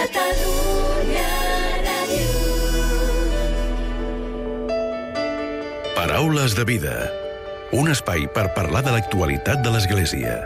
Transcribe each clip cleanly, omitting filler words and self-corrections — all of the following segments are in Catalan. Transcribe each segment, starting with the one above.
Catalunya Ràdio. Paraules de vida. Un espai per parlar de l'actualitat de l'Església.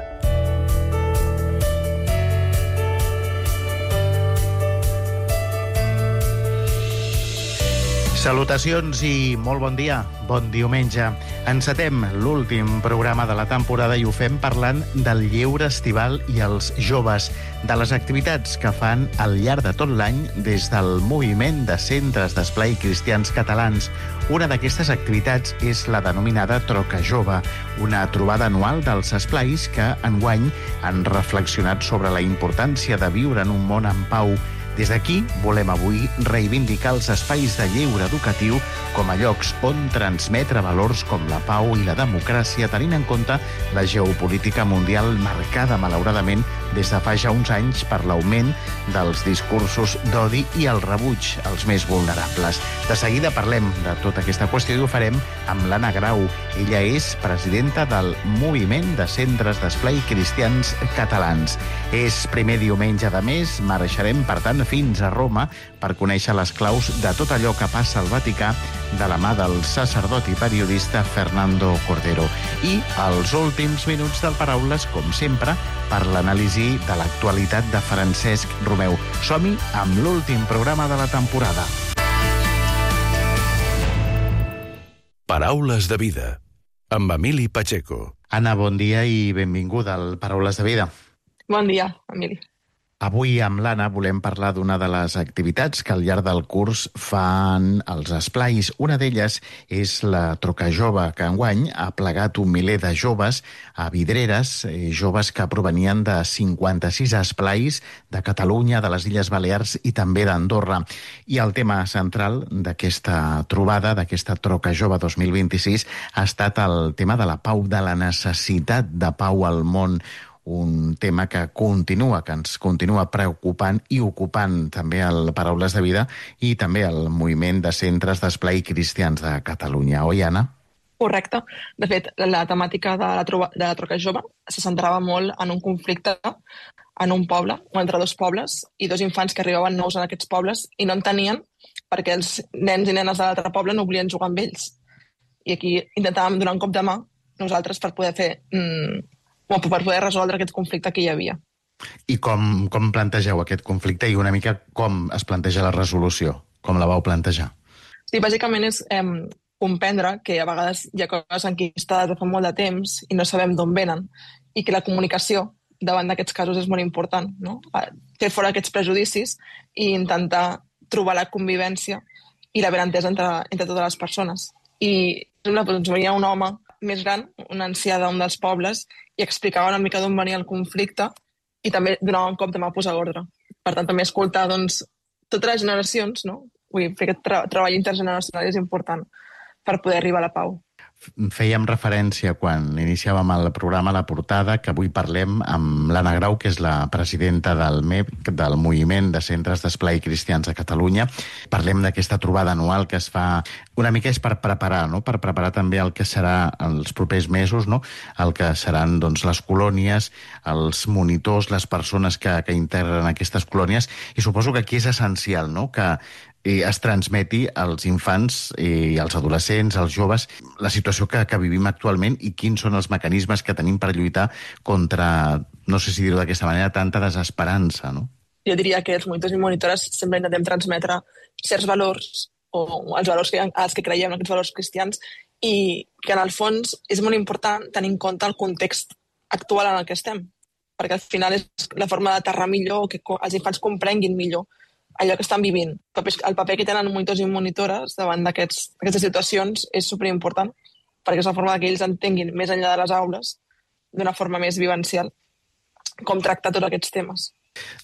Salutacions i molt bon dia, bon diumenge. Encetem l'últim programa de la temporada i ho fem parlant del lleure estival i els joves, de les activitats que fan al llarg de tot l'any des del moviment de centres d'esplai cristians catalans. Una d'aquestes activitats és la denominada Troca Jove, una trobada anual dels esplais que enguany han reflexionat sobre la importància de viure en un món en pau. Des d'aquí volem avui reivindicar els espais de lleure educatiu com a llocs on transmetre valors com la pau i la democràcia, tenint en compte la geopolítica mundial marcada, malauradament, des de fa ja uns anys per l'augment dels discursos d'odi i el rebuig als més vulnerables. De seguida parlem de tota aquesta qüestió i ho farem amb l'Anna Grau. Ella és presidenta del Moviment de Centres d'Esplai Cristians Catalans. És primer diumenge de mes, marxarem, per tant, fins a Roma per conèixer les claus de tot allò que passa al Vaticà de la mà del sacerdot i periodista Fernando Cordero. I els últims minuts del Paraules, com sempre, per l'anàlisi de l'actualitat de Francesc Romeu. Som-hi amb l'últim programa de la temporada. Paraules de vida, amb Emili Pacheco. Anna, bon dia i benvinguda al Paraules de Vida. Bon dia, Emili. Avui amb l'Anna volem parlar d'una de les activitats que al llarg del curs fan els esplais. Una d'elles és la Troca Jove, que enguany ha plegat un miler de joves a Vidreres, joves que provenien de 56 esplais de Catalunya, de les Illes Balears i també d'Andorra. I el tema central d'aquesta trobada, d'aquesta Troca Jove 2026, ha estat el tema de la pau, de la necessitat de pau al món. Un tema que ens continua preocupant i ocupant també el Paraules de Vida i també el moviment de centres d'esplai cristians de Catalunya. Oi, Anna? Correcte. De fet, la temàtica de la Troca Jove se centrava molt en un conflicte en un poble, o entre dos pobles, i dos infants que arribaven nous en aquests pobles i no en tenien perquè els nens i nenes de l'altre poble no volien jugar amb ells. I aquí intentàvem donar un cop de mà nosaltres per poder per poder resoldre aquest conflicte que hi havia. I com plantegeu aquest conflicte i una mica com es planteja la resolució? Com la vau plantejar? Sí, bàsicament és comprendre que a vegades hi ha coses enquistades de fa molt de temps i no sabem d'on venen i que la comunicació davant d'aquests casos és molt important, no? Fer fora aquests prejudicis i intentar trobar la convivència i la benentesa entre totes les persones. I doncs, venia un home més gran, un ancià d'un dels pobles, i explicava una mica d'on venia el conflicte i també donava un cop de mà a posar ordre. Per tant, també escoltar totes les generacions, no? Vull dir, fer aquest treball intergeneracional és important per poder arribar a la pau. Fèiem referència quan iniciàvem el programa a la portada que avui parlem amb l'Anna Grau, que és la presidenta del MEC, del Moviment de Centres d'Esplai Cristians de Catalunya. Parlem d'aquesta trobada anual que es fa una mica és per preparar, no? Per preparar també el que serà els propers mesos, no? El que seran doncs, les colònies, els monitors, les persones que integren aquestes colònies. I suposo que aquí és essencial, no? Que es transmeti als infants i als adolescents, als joves, la situació que vivim actualment i quins són els mecanismes que tenim per lluitar contra, no sé si dir-ho d'aquesta manera, tanta desesperança, no? Jo diria que els monitors i monitores sempre intentem transmetre certs valors o els valors als que creiem, aquests valors cristians, i que en el fons és molt important tenir en compte el context actual en el que estem, perquè al final és la forma d'aterrar millor o que els infants comprenguin millor allò que estan vivint. El paper que tenen monitors i monitores davant d'aquestes situacions és superimportant, perquè és la forma que ells entenguin més enllà de les aules, d'una forma més vivencial, com tractar tots aquests temes.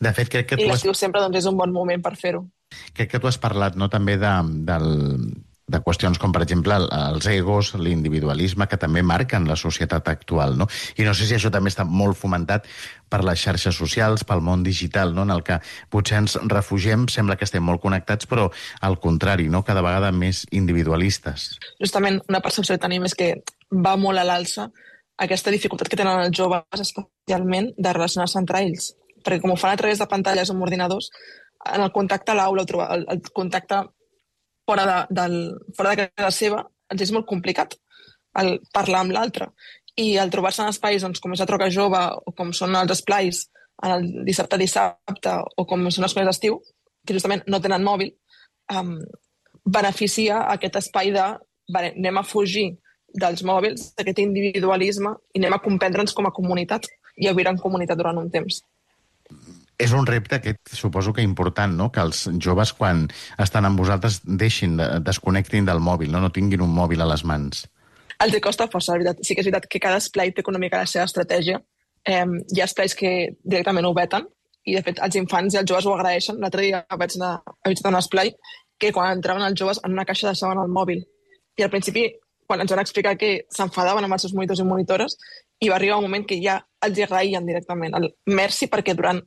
De fet, crec que I l'estiu sempre és un bon moment per fer-ho. Crec que tu has parlat, no, també de qüestions com, per exemple, els egos, l'individualisme, que també marquen la societat actual, no? I no sé si això també està molt fomentat per les xarxes socials, pel món digital, no? En el que potser ens refugiem, sembla que estem molt connectats, però al contrari, no? Cada vegada més individualistes. Justament una percepció que tenim és que va molt a l'alça aquesta dificultat que tenen els joves, especialment, de relacionar-se entre ells. perquè com ho fan a través de pantalles o amb ordinadors, en el contacte a l'aula, el contacte fora de casa seva, ens és molt complicat el parlar amb l'altre. I el trobar-se en espais com és la Troca Jove o com són els esplais en el dissabte o com són les coses d'estiu, que justament no tenen mòbil, beneficia aquest espai de anem a fugir dels mòbils, d'aquest individualisme, i anem a comprendre'ns com a comunitat i a viure en comunitat durant un temps. És un repte aquest, suposo que important, no? Que els joves, quan estan amb vosaltres, desconnectin del mòbil, no tinguin un mòbil a les mans. Els costa força, la veritat. Sí que és veritat que cada esplai té una mica la seva estratègia. Hi ha esplais que directament ho veten, i de fet els infants i els joves ho agraeixen. L'altre dia vaig anar a visitar un esplai que quan entraven els joves en una caixa deixaven el mòbil. I al principi, quan ens van explicar que s'enfadaven amb els seus monitors i monitores, i va arribar un moment que ja els agraïen directament. Merci, perquè durant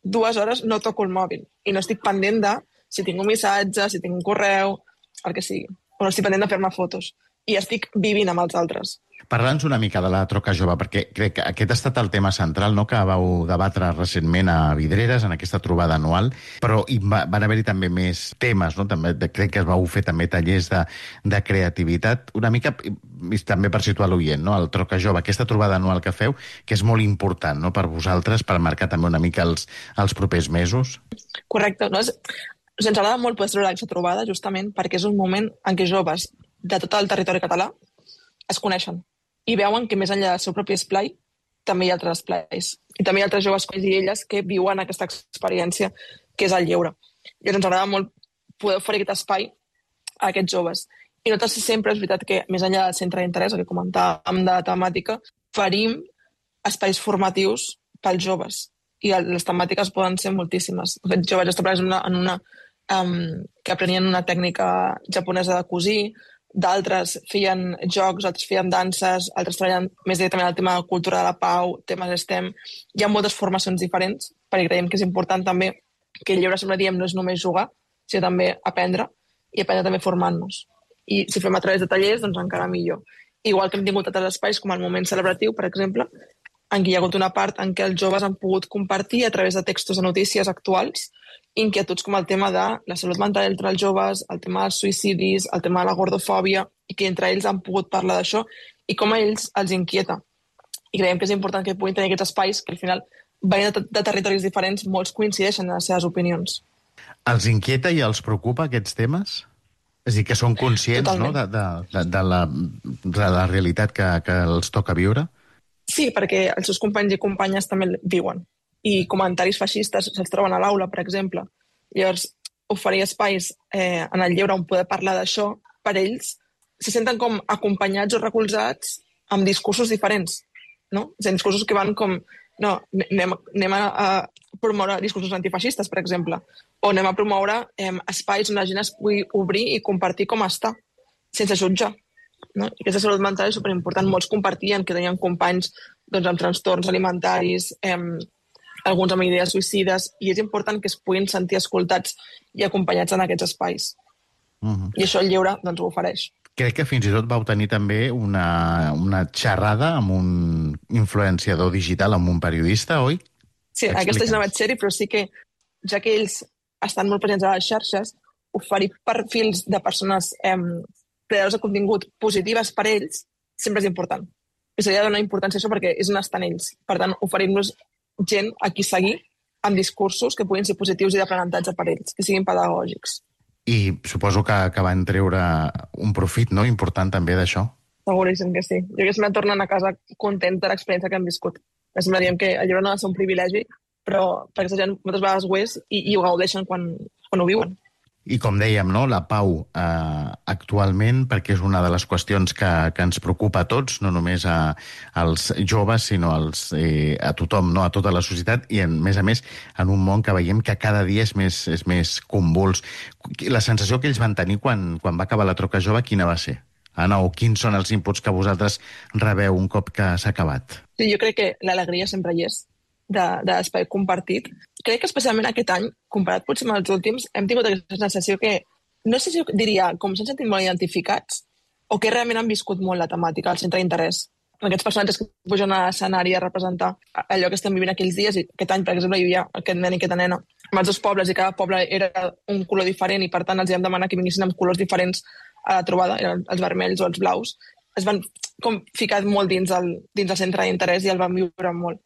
2 hores no toco el mòbil i no estic pendent de si tinc un missatge, si tinc un correu, el que sigui. O no estic pendent de fer-me fotos. I estic vivint amb els altres. Parla'ns una mica de la Troca Jove, perquè crec que aquest ha estat el tema central, no?, que vau debatre recentment a Vidreres, en aquesta trobada anual, però van haver-hi també més temes, no? També, crec que es vau fer també tallers de creativitat, una mica, també per situar l'oient, no?, el Troca Jove, aquesta trobada anual que feu, que és molt important, no?, per vosaltres, per marcar també una mica els propers mesos. Correcte. No? Ens agrada molt poder celebrar aquesta trobada, justament perquè és un moment en què joves de tot el territori català es coneixen i veuen que més enllà del seu propi esplai també hi ha altres esplais. I també hi ha altres joves com ells i elles que viuen aquesta experiència que és el lleure. I ens agrada molt poder oferir aquest espai a aquests joves. I nosaltres sempre és veritat que més enllà del centre d'interès, el que comentàvem de temàtica, oferim espais formatius pels joves. I les temàtiques poden ser moltíssimes. De fet, jo vaig estar en una que aprenien una tècnica japonesa de cosir, d'altres feien jocs, altres feien danses, altres treballen més directament el tema de cultura de la pau, temes STEM. Hi ha moltes formacions diferents, perquè creiem que és important també que el lleure, sempre diem, no és només jugar, sinó també aprendre, i aprendre també formant-nos. I si fem a través de tallers, doncs encara millor. Igual que hem tingut altres espais, com el moment celebratiu, per exemple, en què hi ha hagut una part en què els joves han pogut compartir a través de textos de notícies actuals inquietuds com el tema de la salut mental entre els joves, el tema dels suïcidis, el tema de la gordofòbia, i que entre ells han pogut parlar d'això i com a ells els inquieta. I creiem que és important que puguin tenir aquests espais que al final, venint de territoris diferents, molts coincideixen en les seves opinions. Els inquieta i els preocupa aquests temes? És a dir, que són conscients, no?, de la realitat que els toca viure? Sí, perquè els seus companys i companyes també viuen. I comentaris feixistes se'ls troben a l'aula, per exemple. Llavors, oferir espais en el lleure on poder parlar d'això, per ells se senten com acompanyats o recolzats amb discursos diferents, no? És a dir, discursos que van com... No, anem a promoure discursos antifeixistes, per exemple, o anem a promoure espais on la gent es pugui obrir i compartir com està, sense jutjar. No? I aquesta salut mental és superimportant. Molts compartien que tenien companys doncs, amb trastorns alimentaris, alguns amb idees suïcides, i és important que es puguin sentir escoltats i acompanyats en aquests espais. I això el lleure doncs, ho ofereix. Crec que fins i tot vau tenir també una xerrada amb un influenciador digital, amb un periodista, oi? Sí, aquesta és una sèrie, però sí que, ja que ells estan molt presents a les xarxes, oferir perfils de persones creadors de contingut positives per ells sempre és important. I s'ha de donar importància a això perquè és on estan ells. Per tant, oferim-nos gent a qui seguir amb discursos que puguin ser positius i d'aprenentatge per ells, que siguin pedagògics. I suposo que van treure un profit, no?, important també d'això. Seguríssim que sí. Jo que sempre tornen a casa content de l'experiència que han viscut. Sempre diem que el llibre no ha de ser un privilegi, però perquè aquesta gent moltes vegades ho és i ho gaudeixen quan ho viuen. I com dèiem, no, la pau actualment, perquè és una de les qüestions que ens preocupa a tots, no només als joves, sinó a tothom, no, a tota la societat, i a més, en un món que veiem que cada dia és més convuls. La sensació que ells van tenir quan va acabar la Troca Jove, quina va ser? Anna, o quins són els inputs que vosaltres rebeu un cop que s'ha acabat? Sí, jo crec que l'alegria sempre hi és, d'espai compartit. Crec que especialment aquest any, comparat potser amb els últims, hem tingut aquesta sensació que, no sé si diria, com s'han sentit molt identificats, o que realment han viscut molt la temàtica, el centre d'interès. aquests personatges que pugen a l'escenari a representar allò que estem vivint aquells dies. I aquest any, per exemple, hi havia aquest nen i aquesta nena amb els dos pobles, i cada poble era un color diferent, i per tant els vam demanar que vinguessin amb colors diferents a la trobada, eren els vermells o els blaus. Es van com ficar molt dins el centre d'interès i el van viure molt.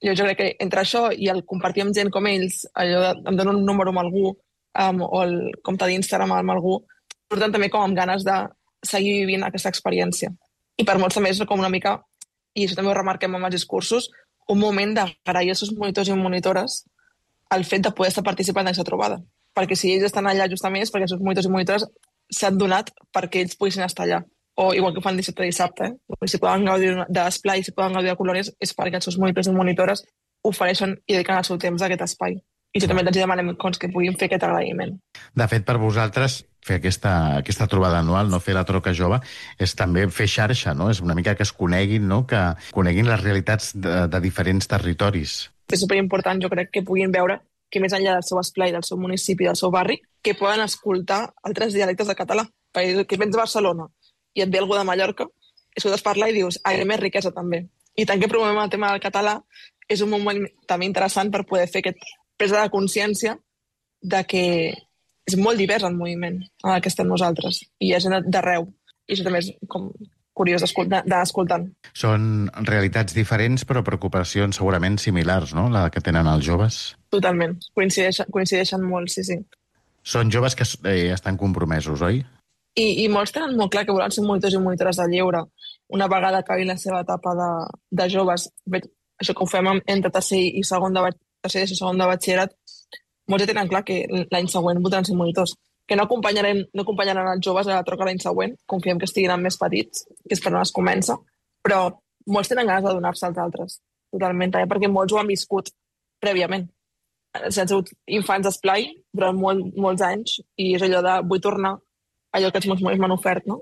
Jo crec que entre això i el compartir amb gent com ells, allò de em dono un número amb algú o el compte d'Instagram amb algú, porten també com amb ganes de seguir vivint aquesta experiència. I per molts també és com una mica, i això també ho remarquem amb els discursos, un moment d'agrair als seus monitors i monitores el fet de poder estar participant d'aquesta trobada. Perquè si ells estan allà justament és perquè els seus monitors i monitores s'han donat perquè ells poguessin estar allà. O igual que ho fan dissabte a dissabte, si poden gaudir d'esplai, si poden gaudir de colònies, és perquè els seus monitors i monitores ofereixen i dediquen el seu temps a aquest espai. I això també els demanem que puguin fer aquest agraïment. De fet, per vosaltres, fer aquesta trobada anual, no fer la troca jove, és també fer xarxa, no? És una mica que es coneguin, no? Que coneguin les realitats de diferents territoris. És superimportant, jo crec, que puguin veure que més enllà del seu esplai, del seu municipi, del seu barri, que poden escoltar altres dialectes de català. Perquè que vens de Barcelona i et ve algú de Mallorca, escoltes parlar i dius, hi ha més riquesa també. I tant que promovem el tema del català, és un moment també interessant per poder fer aquest presa de consciència de que és molt divers el moviment en el que estem nosaltres, i hi ha gent d'arreu, i això també és com curiós d'anar escoltant. Són realitats diferents, però preocupacions segurament similars, no?, la que tenen els joves. Totalment, coincideixen molt, sí. Són joves que estan compromesos, oi? I molts tenen molt clar que volen ser monitors i monitores de lleure. Una vegada acabi la seva etapa de joves, això que ho fem entre tercer i segon de batxillerat, molts ja tenen clar que l'any següent voldran ser monitors. Que no acompanyaran els joves a la troca l'any següent, confiem que estiguin més petits, que és per on es comença, però molts tenen ganes de donar-se als altres, totalment, perquè molts ho han viscut prèviament. Han sigut infants d'esplai durant molts anys, i és allò de vull tornar allò que els meus monitors m'han ofert, no?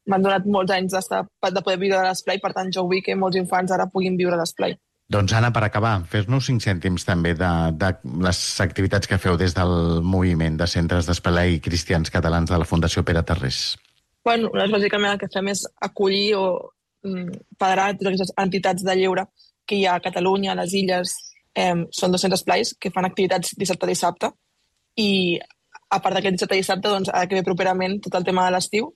M'han donat molts anys de poder viure de l'esplai, per tant jo vull que molts infants ara puguin viure l'esplai. Doncs, Anna, per acabar, fes-nos 5 cèntims també de les activitats que feu des del moviment de centres d'esplai cristians catalans de la Fundació Pere Tarrés. Bueno, bàsicament el que fem és acollir o federar totes aquestes entitats de lleure que hi ha a Catalunya, a les illes. Són 200 esplais que fan activitats dissabte a dissabte, i a part d'aquest dissabte a dissabte, doncs, ara que ve properament tot el tema de l'estiu,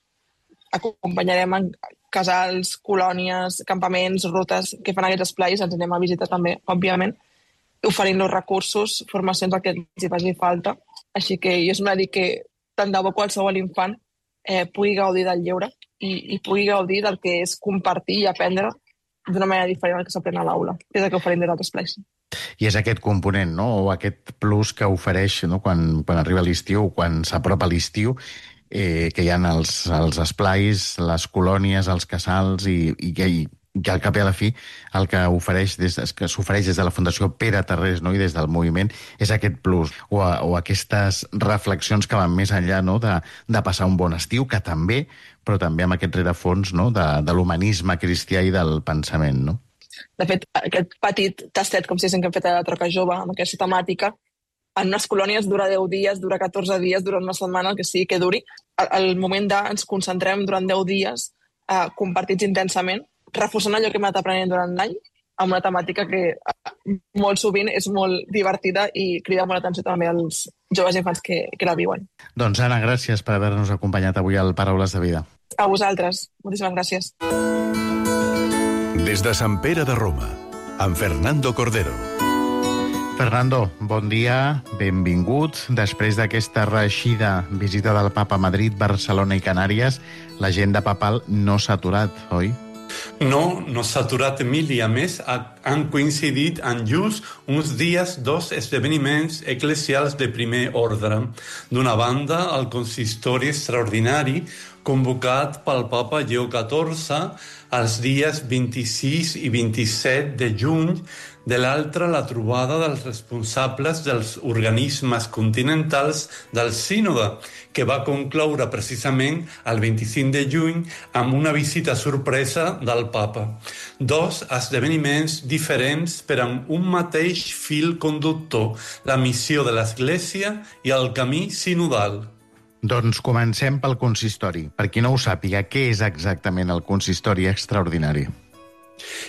acompanyarem en casals, colònies, campaments, rutes que fan aquests esplais, ens anem a visitar també, òbviament, oferint-los recursos, formacions al que els hi faci falta. Així que jo sempre dic que tant de bo qualsevol infant pugui gaudir del lleure i pugui gaudir del que és compartir i aprendre d'una manera diferent del que s'aprèn a l'aula, que és el que oferim des d'altres esplais. I és aquest component, no?, o aquest plus que ofereix, no?, quan arriba l'estiu, quan s'apropa l'estiu, que hi ha els esplais, les colònies, els casals, i que al cap i a la fi el que s'ofereix des de la Fundació Pere Tarrés, no?, i des del moviment, és aquest plus, o aquestes reflexions que van més enllà, no?, de passar un bon estiu, que també, però també amb aquest rerefons, no?, de l'humanisme cristià i del pensament, no? De fet, aquest petit tastet, com si que hem fet a la troca jove, amb aquesta temàtica, en unes colònies dura 10 dies, dura 14 dies, dura una setmana, el que sigui que duri. El moment ens concentrem durant 10 dies compartits intensament, reforçant allò que hem anat aprenent durant l'any, amb una temàtica que molt sovint és molt divertida i crida molt l'atenció també als joves i infants que la viuen. Doncs, Anna, gràcies per haver-nos acompanyat avui al Paraules de Vida. A vosaltres. Moltíssimes gràcies. Des de Sant Pere de Roma, amb Fernando Cordero. Fernando, bon dia, benvingut. Després d'aquesta reeixida visita del Papa a Madrid, Barcelona i Canàries, l'agenda papal no s'ha aturat, oi? No s'ha aturat, Emili. A més, han coincidit en just uns dies 2 esdeveniments eclesials de primer ordre. D'una banda, el consistori extraordinari convocat pel Papa Lleó XIV els dies 26 i 27 de juny, de l'altra la trobada dels responsables dels organismes continentals del sínode, que va concloure precisament el 25 de juny amb una visita sorpresa del Papa. 2 esdeveniments diferents per amb un mateix fil conductor, la missió de l'Església i el camí sinodal. Doncs comencem pel consistori. Per qui no ho sàpiga, què és exactament el consistori extraordinari?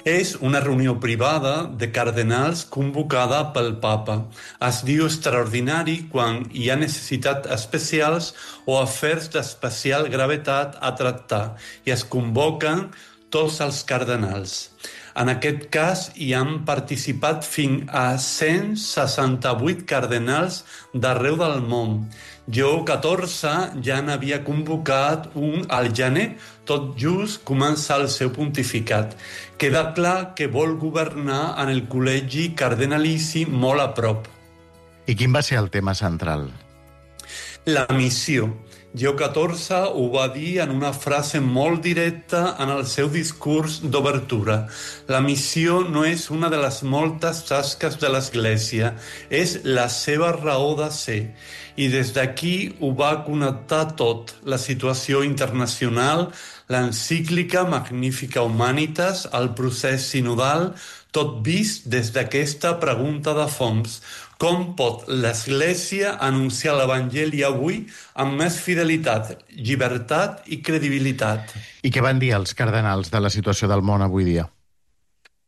És una reunió privada de cardenals convocada pel papa. Es diu extraordinari quan hi ha necessitats especials o afers d'especial gravetat a tractar i es convoquen tots els cardenals. En aquest cas hi han participat fins a 168 cardenals d'arreu del món. Lleó XIV ja n'havia convocat un al gener, tot just començar el seu pontificat. Queda clar que vol governar en el col·legi cardenalici molt a prop. I quin va ser el tema central? La missió. Lleó XIV ho va dir en una frase molt directa en el seu discurs d'obertura. La missió no és una de les moltes tasques de l'Església, és la seva raó de ser. I des d'aquí ho va connectar tot, la situació internacional, l'encíclica Magnificat Humanitas, el procés sinodal, tot vist des d'aquesta pregunta de fons. Com pot l'Església anunciar l'Evangeli avui amb més fidelitat, llibertat i credibilitat? I què van dir els cardenals de la situació del món avui dia?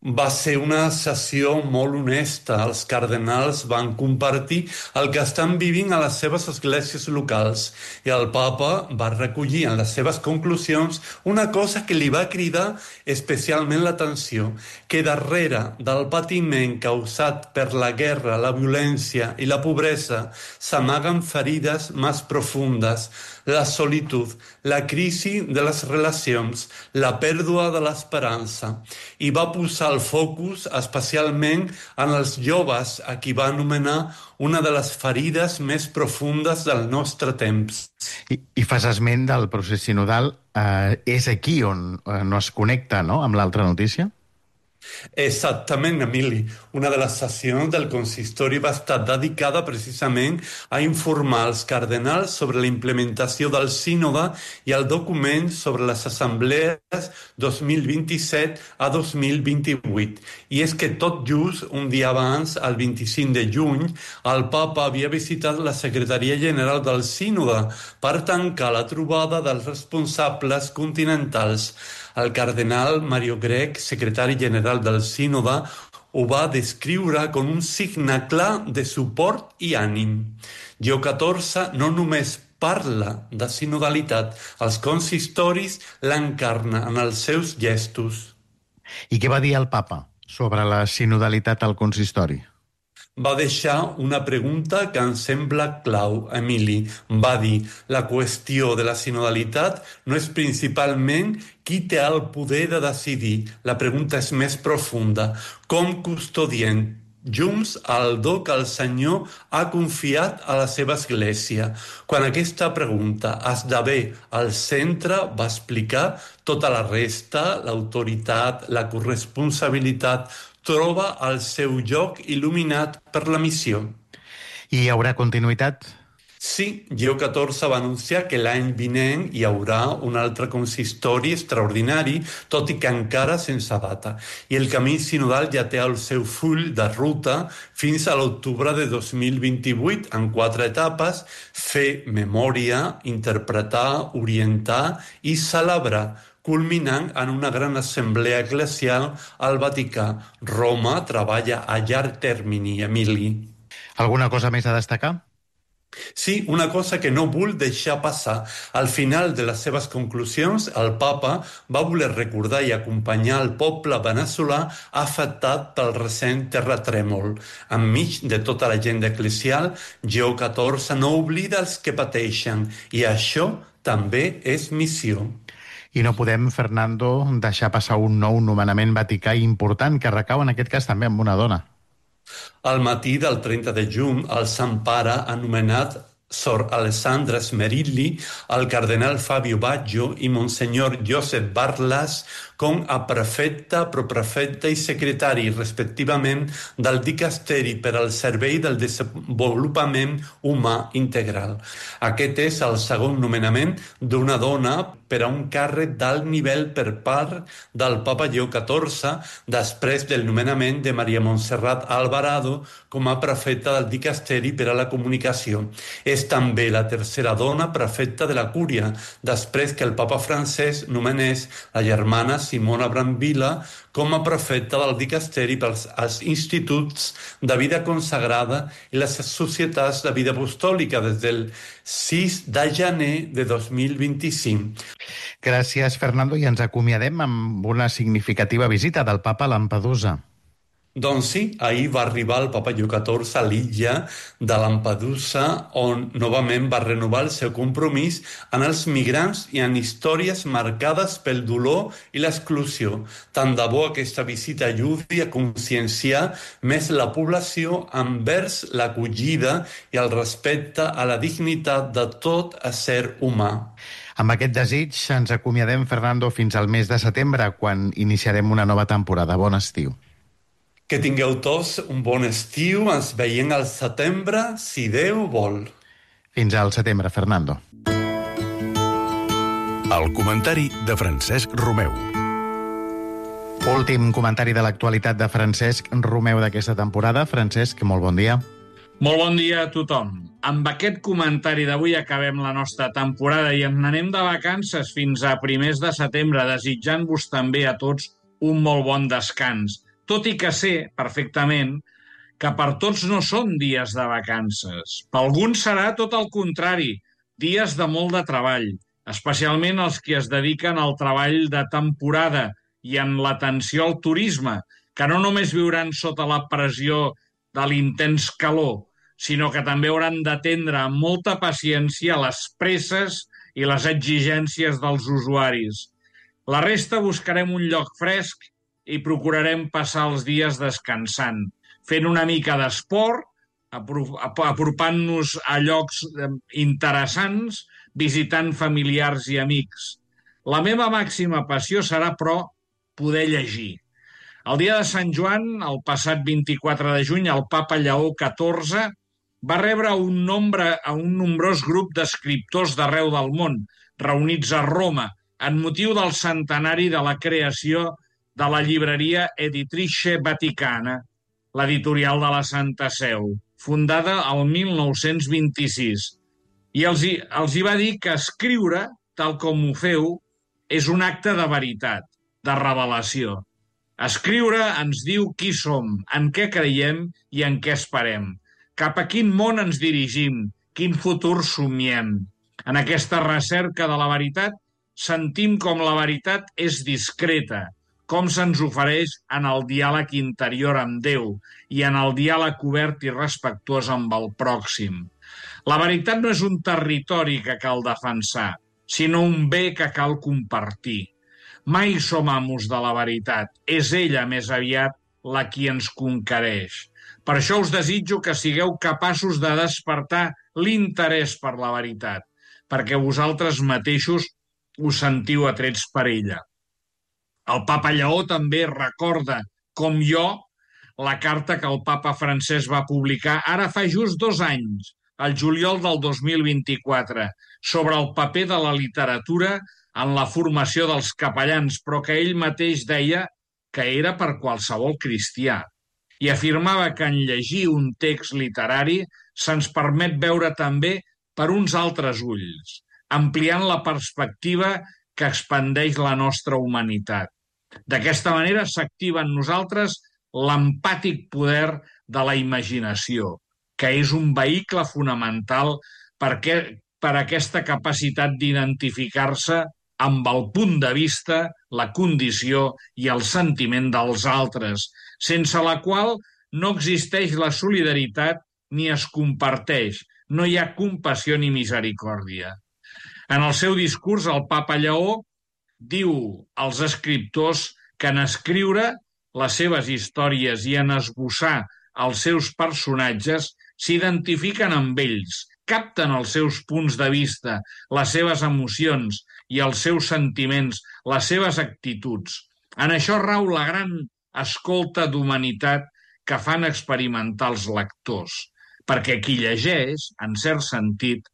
Va ser una sessió molt honesta. Els cardenals van compartir el que estan vivint a les seves esglésies locals i el papa va recollir en les seves conclusions una cosa que li va cridar especialment l'atenció, que darrere del patiment causat per la guerra, la violència i la pobresa s'amaguen ferides més profundes, la solitud, la crisi de les relacions, la pèrdua de l'esperança, i va posar el focus especialment en els joves, a qui va anomenar una de les ferides més profundes del nostre temps. I fas esment del procés sinodal, és aquí on no es connecta, no?, amb l'altra notícia? Exactament, Emili. Una de les sessions del consistori va estar dedicada precisament a informar els cardenals sobre la implementació del sínode i el document sobre les assemblees 2027 a 2028. I és que tot just un dia abans, el 25 de juny, el papa havia visitat la secretaria general del sínode per tancar la trobada dels responsables continentals. El cardenal Mario Grech, secretari general del sínode, ho va descriure com un signe clar de suport i ànim. Lleó XIV no només parla de sinodalitat, els consistoris l'encarna en els seus gestos. I què va dir el papa sobre la sinodalitat al consistori? Va deixar una pregunta que em sembla clau, Emili. Va dir, la qüestió de la sinodalitat no és principalment qui té el poder de decidir. La pregunta és més profunda. Com custodiem junts el do que el Senyor ha confiat a la seva Església? Quan aquesta pregunta esdevé al centre, va explicar, tota la resta, l'autoritat, la corresponsabilitat, troba el seu lloc il·luminat per la missió. I hi haurà continuïtat? Sí, Lleó XIV va anunciar que l'any vinent hi haurà un altre consistori extraordinari, tot i que encara sense data. I el camí sinodal ja té el seu full de ruta fins a l'octubre de 2028, en 4 etapes: fer memòria, interpretar, orientar i celebrar, culminant en una gran assemblea eclesial al Vaticà. Roma treballa a llarg termini, Emili. Alguna cosa més a destacar? Sí, una cosa que no vull deixar passar. Al final de les seves conclusions, el papa va voler recordar i acompanyar el poble veneçolà afectat pel recent terratrèmol. Enmig de tota la gent eclesial, Lleó XIV no oblida els que pateixen, i això també és missió. I no podem, Fernando, deixar passar un nou nomenament vaticà important que recau en aquest cas també amb una dona. Al matí del 30 de juny, el Sant Pare ha nomenat Sor Alessandra Smerilli, el cardenal Fabio Baggio i Monsenyor Josep Barlas com a prefecte, proprefecte i secretari, respectivament, del dicasteri per al servei del desenvolupament humà integral. Aquest és el segon nomenament d'una dona per a un càrrec d'alt nivell per part del papa Lleó XIV, després del nomenament de Maria Montserrat Alvarado com a prefecta del dicasteri per a la comunicació. És també la tercera dona prefecta de la Cúria, després que el papa francès nomenés la germana Simona Brambila com a prefecta del dicasteri pels instituts de vida consagrada i les societats de vida apostòlica des del 6 de gener de 2025. Gràcies, Fernando, i ens acomiadem amb una significativa visita del papa a Lampedusa. Doncs sí, ahir va arribar el papa Lluc XIV a l'illa de Lampedusa, on novament va renovar el seu compromís en els migrants i en històries marcades pel dolor i l'exclusió. Tant de bo aquesta visita ajudi a conscienciar més la població envers l'acollida i el respecte a la dignitat de tot ésser humà. Amb aquest desig ens acomiadem, Fernando, fins al mes de setembre, quan iniciarem una nova temporada. Bon estiu. Que tingueu tots un bon estiu. Ens veiem al setembre, si Déu vol. Fins al setembre, Fernando. El comentari de Francesc Romeu. Últim comentari de l'actualitat de Francesc Romeu d'aquesta temporada. Francesc, molt bon dia. Molt bon dia a tothom. Amb aquest comentari d'avui acabem la nostra temporada i ens n'anem de vacances fins a primers de setembre, desitjant-vos també a tots un molt bon descans. Tot i que sé perfectament que per tots no són dies de vacances. Per alguns serà tot el contrari, dies de molt de treball, especialment els que es dediquen al treball de temporada i en l'atenció al turisme, que no només viuran sota la pressió de l'intens calor, sinó que també hauran d'atendre amb molta paciència les presses i les exigències dels usuaris. La resta buscarem un lloc fresc i procurarem passar els dies descansant, fent una mica d'esport, apropant-nos a llocs interessants, visitant familiars i amics. La meva màxima passió serà, però, poder llegir. El dia de Sant Joan, el passat 24 de juny, el papa Lleó XIV va rebre un nombrós grup d'escriptors d'arreu del món, reunits a Roma, en motiu del centenari de la creació de la llibreria Editrice Vaticana, l'editorial de la Santa Seu, fundada el 1926. I els hi va dir que escriure, tal com ho feu, és un acte de veritat, de revelació. Escriure ens diu qui som, en què creiem i en què esperem, cap a quin món ens dirigim, quin futur somiem. En aquesta recerca de la veritat sentim com la veritat és discreta, com se'ns ofereix en el diàleg interior amb Déu i en el diàleg obert i respectuós amb el pròxim. La veritat no és un territori que cal defensar, sinó un bé que cal compartir. Mai som amos de la veritat, és ella més aviat la qui ens conquereix. Per això us desitjo que sigueu capaços de despertar l'interès per la veritat, perquè vosaltres mateixos us sentiu atrets per ella. El papa Lleó també recorda, com jo, la carta que el papa Francesc va publicar ara fa just 2 anys, al juliol del 2024, sobre el paper de la literatura en la formació dels capellans, però que ell mateix deia que era per qualsevol cristià. I afirmava que en llegir un text literari se'ns permet veure també per uns altres ulls, ampliant la perspectiva que expandeix la nostra humanitat. D'aquesta manera s'activa en nosaltres l'empàtic poder de la imaginació, que és un vehicle fonamental per aquesta capacitat d'identificar-se amb el punt de vista, la condició i el sentiment dels altres, sense la qual no existeix la solidaritat ni es comparteix, no hi ha compassió ni misericòrdia. En el seu discurs, el papa Lleó diu als escriptors que en escriure les seves històries i en esbossar els seus personatges s'identifiquen amb ells, capten els seus punts de vista, les seves emocions i els seus sentiments, les seves actituds. En això rau la gran escolta d'humanitat que fan experimentar els lectors, perquè qui llegeix, en cert sentit,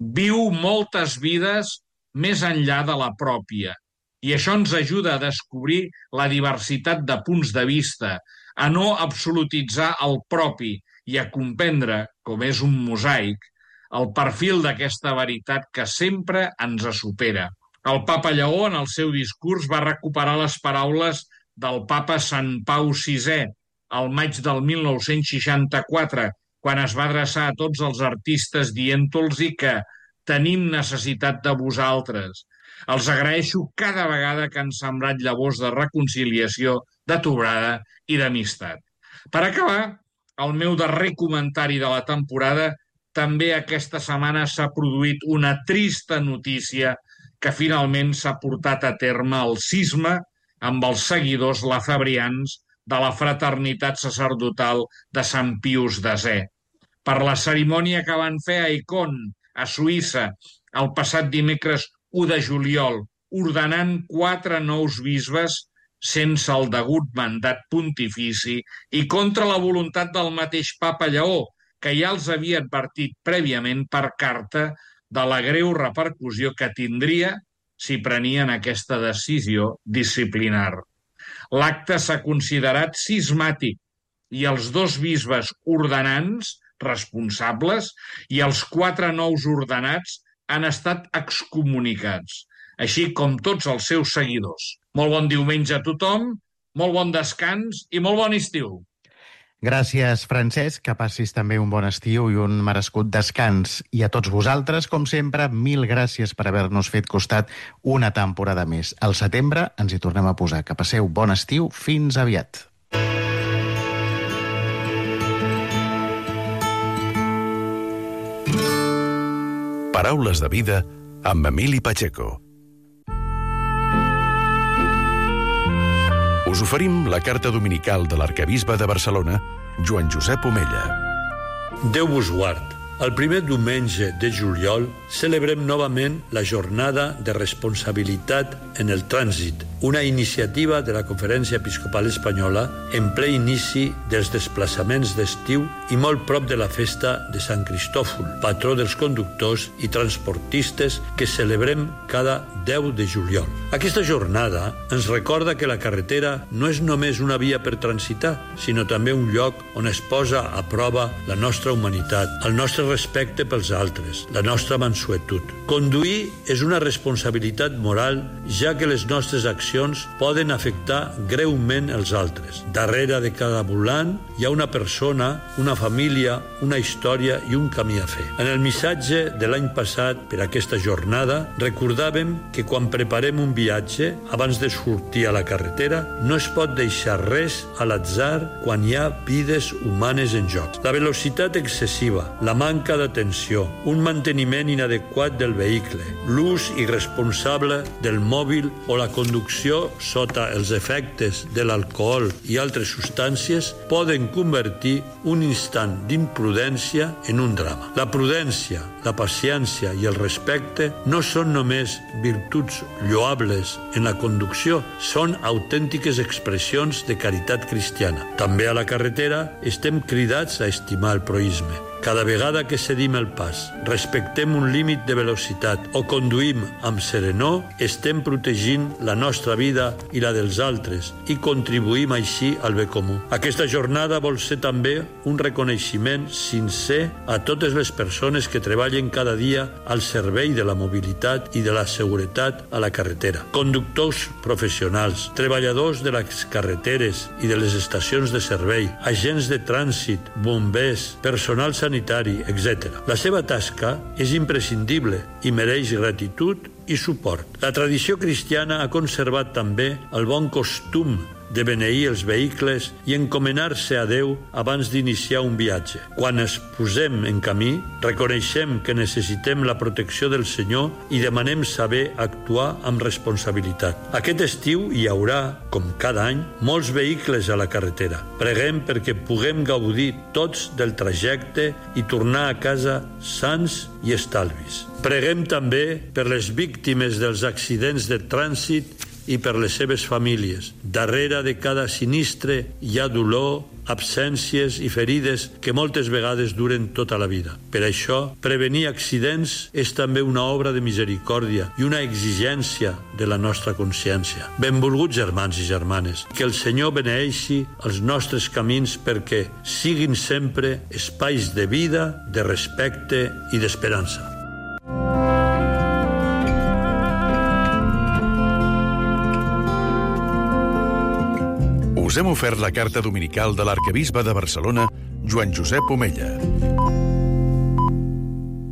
viu moltes vides més enllà de la pròpia, i això ens ajuda a descobrir la diversitat de punts de vista, a no absolutitzar el propi i a comprendre, com és un mosaic, el perfil d'aquesta veritat que sempre ens supera. El papa Lleó, en el seu discurs, va recuperar les paraules del papa Sant Pau VI al maig del 1964, quan es va adreçar a tots els artistes dient-los que tenim necessitat de vosaltres. Els agraeixo cada vegada que han sembrat llavors de reconciliació, de trobada i d'amistat. Per acabar, el meu darrer comentari de la temporada, també aquesta setmana s'ha produït una trista notícia que finalment s'ha portat a terme el cisma amb els seguidors lafebrians de la fraternitat sacerdotal de Sant Pius X. Per la cerimònia que van fer a Icon, a Suïssa, el passat dimecres 1 de juliol, ordenant 4 nous bisbes sense el degut mandat pontifici i contra la voluntat del mateix papa Lleó, que ja els havia advertit prèviament per carta de la greu repercussió que tindria si prenien aquesta decisió disciplinar. L'acte s'ha considerat cismàtic i els 2 bisbes ordenants, responsables, i els 4 nous ordenats han estat excomunicats, així com tots els seus seguidors. Molt bon diumenge a tothom, molt bon descans i molt bon estiu. Gràcies, Francesc, que passis també un bon estiu i un merescut descans. I a tots vosaltres, com sempre, 1000 gràcies per haver-nos fet costat una temporada més. Al setembre ens hi tornem a posar. Que passeu bon estiu. Fins aviat. Paraules de vida amb Emili Pacheco. Us oferim la carta dominical de l'arquebisbe de Barcelona, Joan Josep Omella. Déu vos guard. El primer diumenge de juliol celebrem novament la jornada de responsabilitat en el trànsit, una iniciativa de la Conferència Episcopal Espanyola en ple inici dels desplaçaments d'estiu i molt prop de la festa de Sant Cristòfol, patró dels conductors i transportistes que celebrem cada 10 de juliol. Aquesta jornada ens recorda que la carretera no és només una via per transitar, sinó també un lloc on es posa a prova la nostra humanitat, el nostre respecte pels altres, la nostra mansuetud. Conduir és una responsabilitat moral, ja que les nostres accions poden afectar greument els altres. Darrere de cada volant hi ha una persona, una família, una història i un camí a fer. En el missatge de l'any passat per aquesta jornada recordàvem que quan preparem un viatge, abans de sortir a la carretera, no es pot deixar res a l'atzar quan hi ha vides humanes en joc. La velocitat excessiva, la manca d'atenció, un manteniment inadequat del vehicle, l'ús irresponsable del mòbil o la conducció sota els efectes de l'alcohol i altres substàncies poden convertir un instant d'imprudència en un drama. La prudència, la paciència i el respecte no són només virtuts lloables en la conducció, són autèntiques expressions de caritat cristiana. També a la carretera estem cridats a estimar el proïsme. Cada vegada que cedim el pas, respectem un límit de velocitat o conduïm amb serenor, estem protegint la nostra vida i la dels altres i contribuïm així al bé comú. Aquesta jornada vol ser també un reconeixement sincer a totes les persones que treballen cada dia al servei de la mobilitat i de la seguretat a la carretera. Conductors professionals, treballadors de les carreteres i de les estacions de servei, agents de trànsit, bombers, personal sanitari, etc. La seva tasca és imprescindible i mereix gratitud i suport. La tradició cristiana ha conservat també el bon costum de beneir els vehicles i encomanar-se a Déu abans d'iniciar un viatge. Quan es posem en camí, reconeixem que necessitem la protecció del Senyor i demanem saber actuar amb responsabilitat. Aquest estiu hi haurà, com cada any, molts vehicles a la carretera. Preguem perquè puguem gaudir tots del trajecte i tornar a casa sans i estalvis. Preguem també per les víctimes dels accidents de trànsit i per les seves famílies. Darrere de cada sinistre hi ha dolor, absències i ferides que moltes vegades duren tota la vida. Per això, prevenir accidents és també una obra de misericòrdia i una exigència de la nostra consciència. Benvolguts germans i germanes, que el Senyor beneeixi els nostres camins perquè siguin sempre espais de vida, de respecte i d'esperança. us hem ofert la carta dominical de l'arquebisbe de Barcelona, Joan Josep Omella.